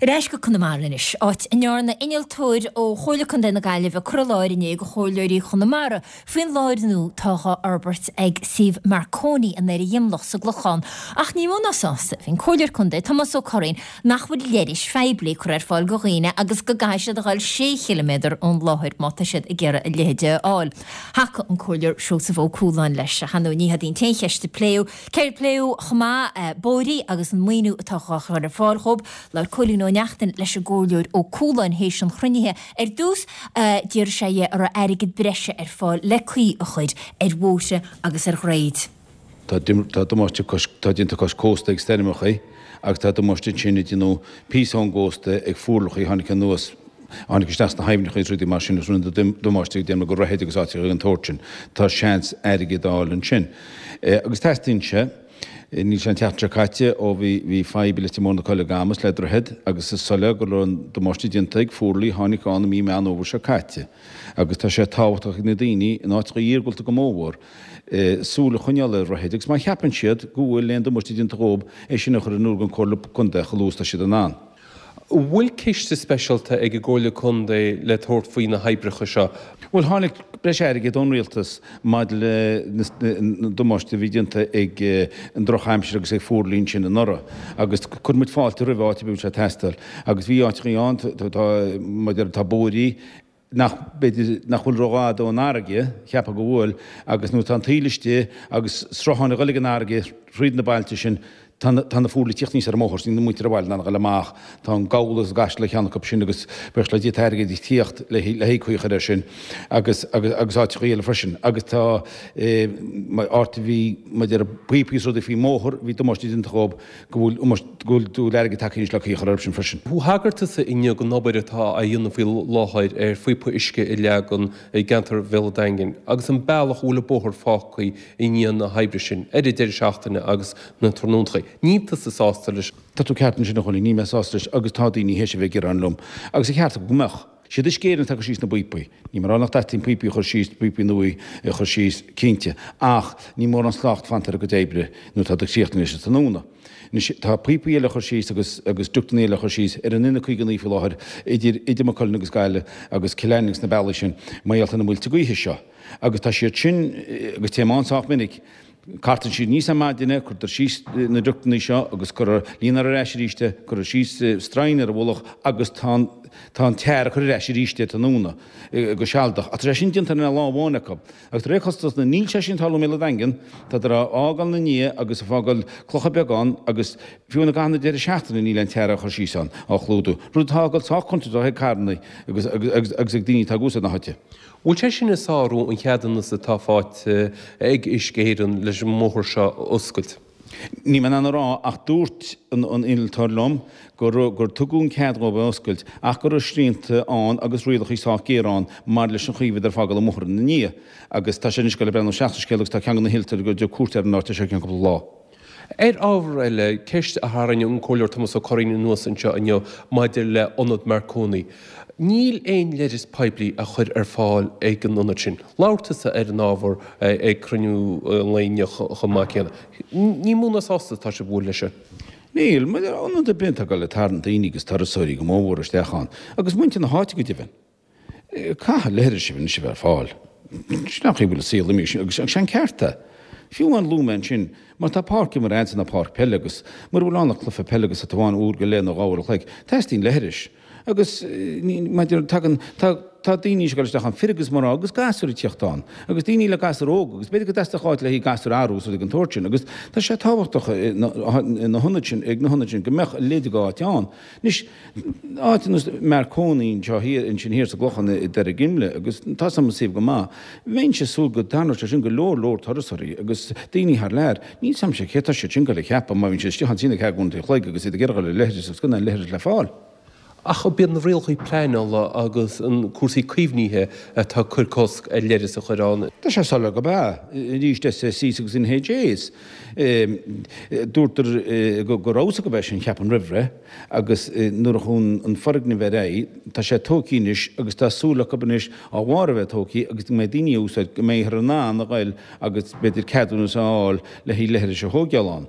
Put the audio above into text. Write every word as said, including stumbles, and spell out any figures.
Ar ais go Conamara anois, áit a ndearna innealtóir ó Chomhairle Contae na Gaillimhe cur i láthair inné do chomhairleoirí Chonamara faoin láthair nua atá á fhorbairt ag suíomh Marconi in Doire Dhíomlach sa gClochán. Ach ní mó ná sásta a bhí an Comhairleoir Contae, Tomás Ó Curraoin, nach bhfuil leithris phoiblí curtha ar fáil do dhaoine agus go gcaithfidh siad a dhul sé chiliméadar ón láthair má tá siad ag iarraidh a leithéide a fháil. Thacaigh an Comhairleoir Seosamh Ó Cualáin leis. Ach ar ndóigh ní hiad an t-aon cheist a pléadh. Céard a pléadh chomh maith? Bóithre agus an maoiniú atá á chur ar fáil dhóibh. Labhair Cóilín Ó Neachtain leis an gComhairleoir Ó Cualáin théis an chruinnithe. Ar dtús, d'iarr sé dhe an raibh airgead breise ar fáil le caoi a chur ar bhóithre agus ar dhroichid. Tá damáiste tá déanta cois cósta ag stoirmeacha agus tá damáiste ansin a déanadh píosa ón gcósta ag fuarlachaí a tháinig anuas, a tháinig isteach sna haibhneacha agus rudaí mar sin agus rinne damáiste ag déanamh go droichid agus áiteacha den tsórt sin. Tá seans airgead a fháil ansin. Agus teastaíonn sé. Níl sé an tseachtain seo caite ó bhí bhí fadhb i Leitir Móir na Coille Gamas le droichead agus is soiléir go raibh an damáiste déanta ag fuarlaigh a tháinig ann i mí Meán Fhómhair seo caite. Agus tá sé tábhachtach ag na daoine in áiteacha iargúlta go mórmhór súil a choinneáil ar dhroichid agus má cheapann siad go bhfuil aon damáiste déanta dhóibh é sin a chur in iúl don Chomhairle Contae chomh luath is atá siad in ann. An bhfuil ciste speisialta ag an gComhairle Contae le tabhairt faoi na hoibreacha seo? Bhuel, tháinig breis airgid ón Rialtas maidir le na damáiste a bhí déanta ag an drochaimsir agus ag fuarlaigh ansin anuraidh agus chuir muid fáilte roimh áit ar bith a bhfuil sé ag teastáil agus bhí áiteachaí ann, tá, maidir, tá bóithrí, nach, b'fhéidir, nach bhfuil rófhada ón fharraige, cheapfá go bhfuil, agus nuair atá an taoille istigh agus srutháin ag dul ag an fharraige thríd na bailte sin, tá na, tá na fuarlaigh ag tíocht aníos ar an mbóthar, níl na muintir an bhaile in ann a dhul amach, tá an Gabhla agus an gCaiseal ar cheann acu sin agus buíochas le Dia tá airgead ag tíocht le le haghaidh caoi a chur air sin agus, agus, agus áiteachaí eile freisin. Agus tá, eh, áit a bhí, maidir le píopaí is rudaí faoin mbóthar, bhí damáiste déanta dhóibh, go bhfuil go bhfuil airgead tagtha anois le caoi a chur orthu sin freisin. Thagair tusa inniu don obair atá á dhéanamh faoi láthair ar phíopa uisce a leagan i gceantar Bhéal an Daingin agus an bealach a bhfuil an bóthar fágtha i ndiaidh na hoibre sin ar an deireadh seachtaine agus na tráthnóntachaí. Níl tusa sásta leis. Tá tú ceart ansin a Chóilín, níl mé sásta leis agus tá daoine théis a bheith ag gearán liom agus an ceart acu go mbeadh. Siad Uisce Éireann atá ag cur síos na bpíopaí. Níl mé ag rá nach dteastaíonn píopaí a chur síos, píopaí nua a chur síos, cinnte, ach níl mórán slacht fanta ar a gcuid oibre nuair atá siad críochnaithe leis an tráthnóna. Anois, tá píopaí eile a chur síos agus agus ductanna eile a chur síos ar an N caoga a naoi faoi láthair idir idir Maigh Cuilinn agus Gaillimh agus Cill Airne agus na bealaí sin mar gheall ar na muilte gaoithe seo. Agus tá siad sin, agus téim ann sách minic, Cartann siad aníos ar maidin é, cuirtear síos na ductanna seo agus cuirtear, líonfar ar ais arís é, cuirtear síos stroighin ar a mhullach agus tá an, tá an tar á chur ar ais arís é tráthnóna go sealadach. Ach tá sé sin déanta in aon lá amháin acu. Agus de réir cosúlachta níl sé sin ag tarlú i mBéal an Daingin, tádar á fhágáil ina ndiaidh agus ag fágáil clocha beaga ann agus fiú i gcaitheamh na deireadh seachtaine níl aon tar á chur síos ann, á chlúdú. Rud atá ag dul sách contúirteach ag carranna agus, agus, agus ag daoine atá ag úsáid na háite. Bhfuil sé sin ag sárú an cheadúnas atá faighte ag Uisce Éireann leis an mbóthar seo a oscailt? Níl mé in ann a rá ach dúirt an innealtóir liom gur gur tugadh an cead dhóibh é a oscailt ach go raibh srianta ann agus rialacha sách géar ann maidir leis an chaoi a bhíodar ag fágáil an bhóthair ina ndiaidh agus tá sé anois ag dul ag breathnú isteach sa scéal agus tá ceann de na hinnealtóirí ag dul ag tabhairt cuairt ar an áit seo i gceann cúpla lá. Ar ábhar eile, ceist a tharraing an Comhairleoir Tomás Ó Curraoin anuas anseo inniu maidir le Ionad Marconi. Níl aon leithreas poiblí á chur ar fáil ag an ionad sin. Labhair tusa ar an ábhar ag cruinniú an lae inniu chomh maith céanna. Ní mó ná sásta atá sibh bhfuil leis seo. Níl. Ionad ar bith atá ag dul ag tarraingt daoine agus turasóirí go mórmhór isteach ann, agus muintir na háite go deimhin. Caithfidh leithris anois a bheith ar fáil. Sin an chaoi a bhfuil an saol imithe agus sé an ceart é. Fiú amháin luaigh mé ansin, má tá páirc imeartha a'd ná páirc peile agus mura bhfuil ann ach cluiche peile agus tá tú ann uair go leith nó dhá uair a chloig, teastaíonn leithris. Agus maidir, tagann, tá, tá daoine ag dul isteach ann, fir agus mná agus gasúir ag tíocht ann agus daoine le gasúir óga agus b'fhéidir go dteastódh áit le haghaidh gasúir a athrú agus rudaí den tsórt sin agus tá sé tábhachtach ina hionad sin, ag na hionaid sin go mbeadh a leithéid d'áit ann. Anois, áit ar nós Marconi anseo thiar, ansin thiar sa gClochán i Doire Dhinmle, agus tá 's agam an suíomh go maith, bheinnse ag súil go dtarraingeodh sé sin go leor leor turasóirí agus daoine thar lear. Níl 's a'mse céard tá siad sin ag dul a cheapadh má bhíonn siad istigh ansin ag ceathair uair an chloig agus iad ag iarraidh dul ar leithreas agus gan aon leithreas le fáil. Ach ab iad na rialacha pleanála agus an cúrsaí caomhnaithe atá ag cur cosc ar leithreas a chur ann? Tá sé soiléir gurb ea. Arís, SSEs agus NHAs. Dúrtar go raibh 's acu é sin, cheapfainn, roimh ré agus nuair a chuaigh an foirgneamh ar aghaidh, tá sé tógtha anois agus tá súil acu anois á bharr a bheith tógtha agus go mbeidh daoine á úsáid, go mbeifear in ann a ghoil agus b'fhéidir ceadúnas a fháil le haghaidh leithris a thóigeáil ann.